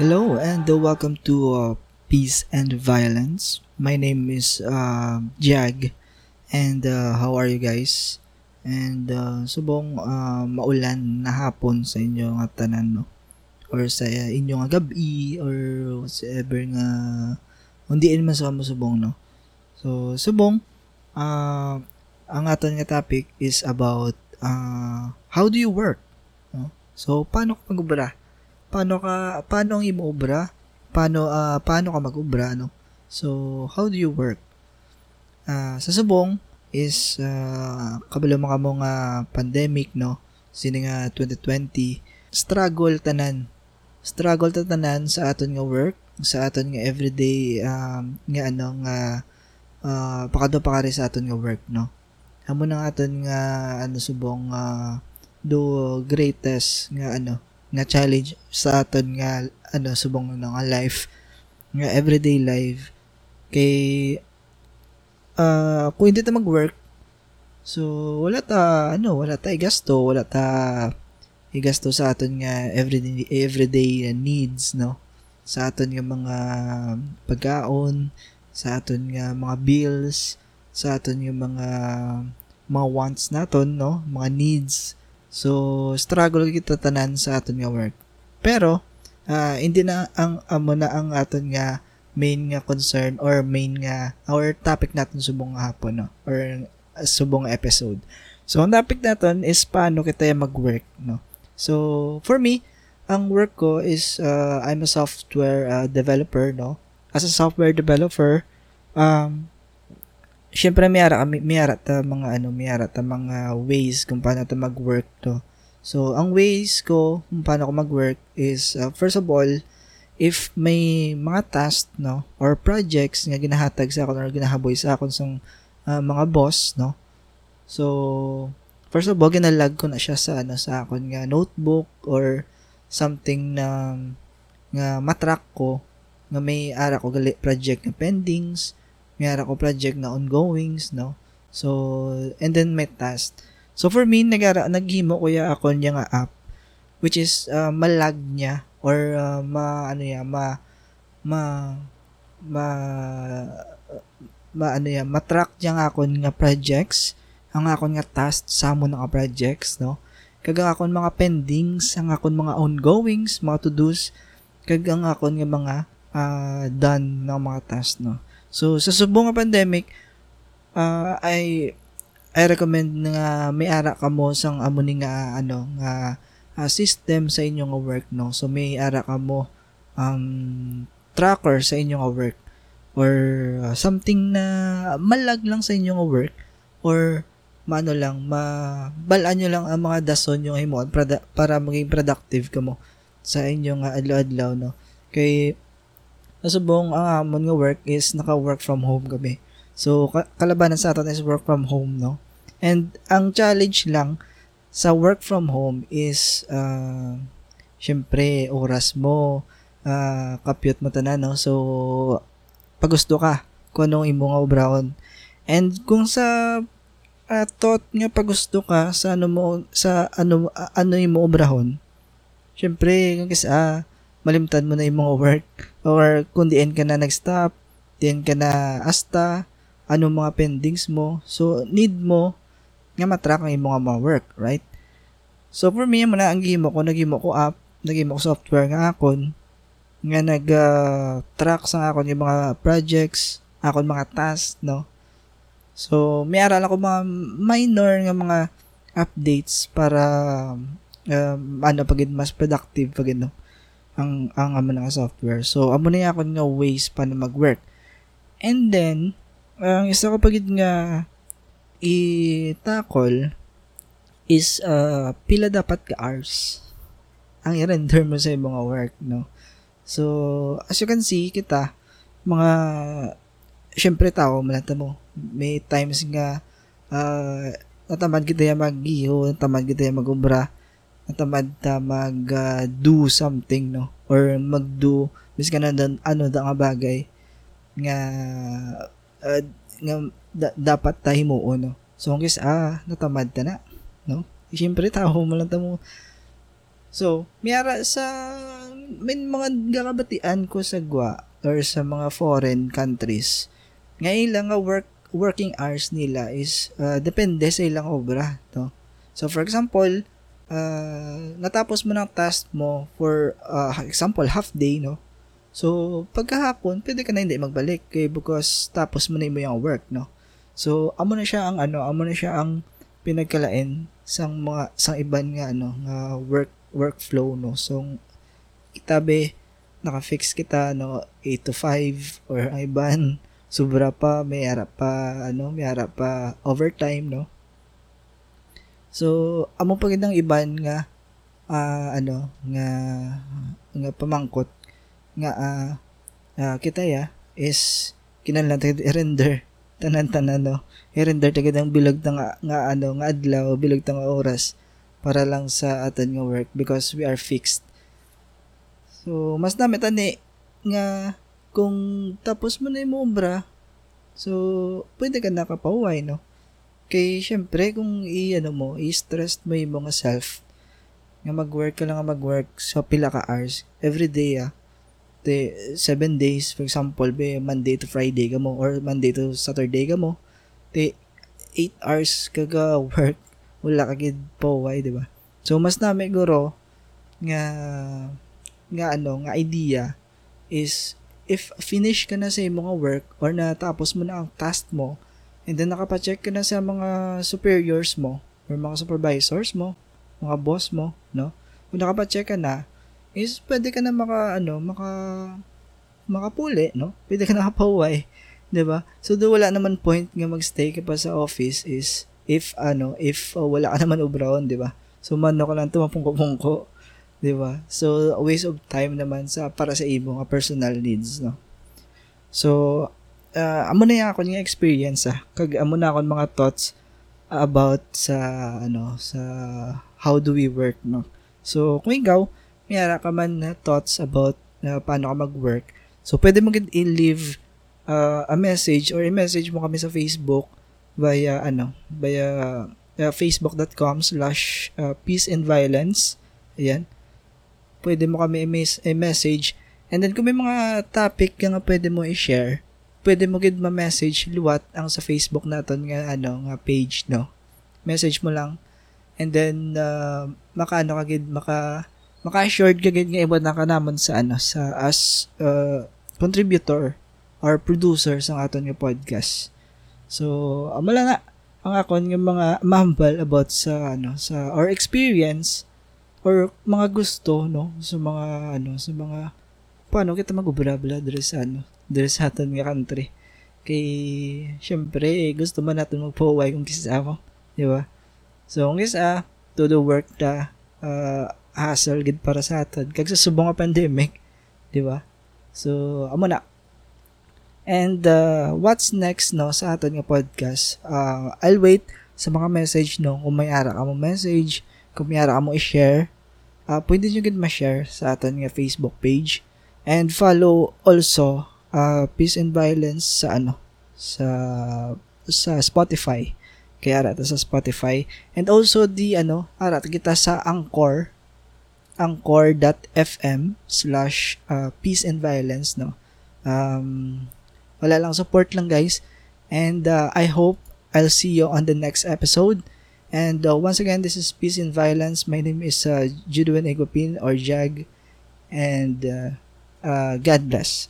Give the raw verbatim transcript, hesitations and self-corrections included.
Hello and uh, welcome to uh, Peace and Violence. My name is uh, Jag, and uh, how are you guys? And uh, subong uh, maulan na hapon sa inyo nga tanan, no? Or sa inyo nga gabi, or whatsoever nga, hindi man sa amo subong, no? So, subong, uh, ang aton nga topic is about uh, how do you work? No? So, paano ka mag-obra? Paano ka, paano ang imo obra? Paano, ah, paano ka mag-obra, no? So, how do you work? Ah, sa subong is, ah, kabalo man kamo nga pandemic, no? Sini nga twenty twenty, struggle tanan. Struggle ta tanan sa aton nga work, sa aton nga everyday, um, nga ano, nga, ah, pakadto pakari sa aton nga work, no? Amo na nga aton nga, ano, subong, ah, the greatest nga, ano, nga challenge sa aton nga, ano, subong, ano, nga life, nga everyday life. Kay, ah, kung hindi ta mag-work, so, wala ta, ano, wala ta igasto, wala ta igasto sa aton nga everyday, everyday needs, no? Sa aton nga mga pagkaon, sa aton nga mga bills, sa aton nga mga, mga wants naton, no? Mga needs. So, struggle kita tanan sa aton nga work. Pero, ah, hindi na ang, amo na ang aton nga main nga concern or main nga, or topic naton subong nga hapon, no? Or, ah, subong nga episode. So, ang topic naton is paano kita mag-work, no? So, for me, ang work ko is, uh, I'm a software, uh, developer, no? As a software developer, um, syempre, may ara, may, may ara ta mga, ano, may ara ta mga ways kung paano ta mag-work, no? So, ang ways ko kung paano ko mag-work is, uh, first of all, if may mga task, no, or projects nga ginahatag sa akon or ginahaboy sa akon sang, uh, mga boss, no? So, first of all, ginalag ko na siya sa, ano, sa akon nga notebook or something na, nga ma-track ko nga may ara ko gali project nga pendings, may ara ko project nga ongoings, no? So, and then may task. So, for me, nagara-, naghimo ko ya akon ya nga app, which is, uh, ma-lag niya or, uh, ma-, ano ya, ma-, ma-, ma-, ma-, ano ya, ma-track niya ang akon nga projects, ang akon nga task sa amo na nga projects, no? Kag ang akon mga pendings, ang akon mga ongoings, mga to-dos, kag ang akon nga mga, ah, done na mga task, no? So, sa subong nga pandemic, ah, I, I recommend nga may ara kamo sang amo ni nga, ano, nga, ah, system sa inyo nga work, no? So, may ara kamo, um, tracker sa inyo nga work or, ah, something na ma-lag lang sa inyo nga work or maano lang, ma-, bal-an nyo lang ang mga dason yung himuon prada-, para maging productive kamo sa inyo nga adlaw-adlaw, no? Kay, nasubong ang amon nga work is naka-work from home kami. So, ka-, kalabanan sa aton is work from home, no? And ang challenge lang sa work from home is, ah, syempre, oras mo, ah, kapyot mo tanan, no? So, pagusto ka kung anong imo nga obrahon. And kung sa, ah, thought nga pagusto ka sa ano mo, sa ano, ah, ano imo obrahon, syempre, kung kis-, ah, malimtan mo na imo nga work. Or kung diin ka na nag-stop, diin ka na hasta, ano mga pendings mo. So, need mo nga ma-track ang imo nga mga work, right? So, for me, amo na ang gihimo ko, naghimo ko app, naghimo ko software nga akon, nga nag, ah, track sa akon yung mga projects, akon mga tasks, no? So, may ara lang ko mga minor nga mga updates para, um, ano pa gid, mas productive pa gid, no? Ang, ang amo na nga software. So, amo na yung akon nga ways pa na mag-work. And then, ang isa ko pa gid nga i-tackle is, uh, pila dapat ka hours ang i-render mo sa imong work, no? So, as you can see, kita, mga, syempre, tao man lang ta mo. May times nga, uh, natamad kita ya mag-iho, natamad kita ya mag-obra, natamad ta mag, uh, do something, no? Or mag-do, miskan ano, ano da nga bagay nga, uh, nga da-, dapat ta himuon, no? So, ang kis-, ah, natamad ta na, no? Siyempre, tao man lang ta mo. So, may ara sa, May mga gakabatian ko sa gwa or sa mga foreign countries nga ila nga work working hours nila is, ah, depende sa ilang obra, no? So, for example, ah, natapos mo ng task mo for, ah, example, half day, no? So, pagkahapon, pwede ka na hindi magbalik kay because tapos mo na imo yung work, no? So, amo na siya ang ano, amo na siya ang pinagkalain sang mga, sang iban nga ano, nga work, workflow, no? So, kita be, naka-fix kita, no, eight to five, or ang iban, sobra pa, may ara pa, ano, may ara pa overtime, no? So, amo pa gid ang iban nga, ah, ano, nga, nga pamangkot nga, ah, ah, kita ya is kinahanglan ta gid i-render tanan-tanan, no? I-render ta gid ang bilog ta nga, nga, ano, nga adlaw, bilog ta nga oras para lang sa aton nga work because we are fixed. So, mas nami tani nga kung tapos mo na yung obra, so, pwede ka nakapahuway, no? Kay, syempre, kung i-, ano mo, i-stress mo yung mga self, nga mag-work ka lang nga mag-work sa pila ka hours, every day, ah, te, seven days, for example, be, Monday to Friday ka mo, or Monday to Saturday ka mo, te, eight hours ka ga-work, wala ka gid pahuway, di ba? So, mas nami guro nga, nga ano, nga idea is if finish ka na sa imo nga work or natapos mo na ang task mo, and then nakapacheck ka na sa mga superiors mo or mga supervisors mo, mga boss mo, no? Kung nakapacheck ka na, is pwede ka na maka, ano, maka, makapuli, no? Pwede ka na kapahuway, di ba? So, do wala naman point nga magstay ka pa sa office is if, ano, if, uh, wala ka naman obrahon, di ba? So, mano ka lang tumapungko-pungko, di ba? So, a waste of time naman sa, para sa imo nga personal needs, no? So, ah, amo na yung akon nga experience, ah. Kag amo na akon mga thoughts about sa, ano, sa how do we work, no? So, kung ikaw, may ara ka man na thoughts about na paano ka mag-work, so pwede mo gid i-leave, ah, a message or i-message mo kami sa Facebook via, ano, via, ah, facebook dot com slash, ah, peace and violence. Ayan. Pwede mo kami i-mes-, i-message. And then, kung may mga topic ka nga pwede mo i-share, pwede mo gid ma-message liwat ang sa Facebook naton nga, ano, nga page, no? Message mo lang. And then, uh, makaano ka gid, maka, maka-assured ka gid nga iwad na ka namon sa, ano, sa as, uh, contributor or producer sa aton nga podcast. So, amo lang na ang akon nga mga mahambal about sa, ano, sa, or experience or mga gusto, no, sa mga, ano, sa mga paano kita mag-ubra-bra diri sa, ano, diri sa aton nga country. Kay, syempre, gusto man naton magpahuway kung kis-a mo, di ba? So, kung kis-a, todo work ta, ah, hassle gid para sa aton. Kag sa subong nga pandemic, di ba? So, amo na. And, uh, what's next, no, sa aton nga podcast? Uh, I'll wait sa mga message, no, kung may ara ka mo message, kung may ara ka mo i-share, uh, pwede nyo gid ma-share sa aton nga Facebook page. And follow also, uh, Peace and Violence sa, ano, sa, sa Spotify. Kaya ara ta sa Spotify. And also the, ano, ara ta kita sa Anchor, anchor dot f m slash, uh, peace and violence, no? Um, wala lang, support lang, guys. And, uh, I hope I'll see you on the next episode. And, uh, once again, this is Peace and Violence. My name is, uh, Judwin Igopin or Jag. And, uh, uh, God bless.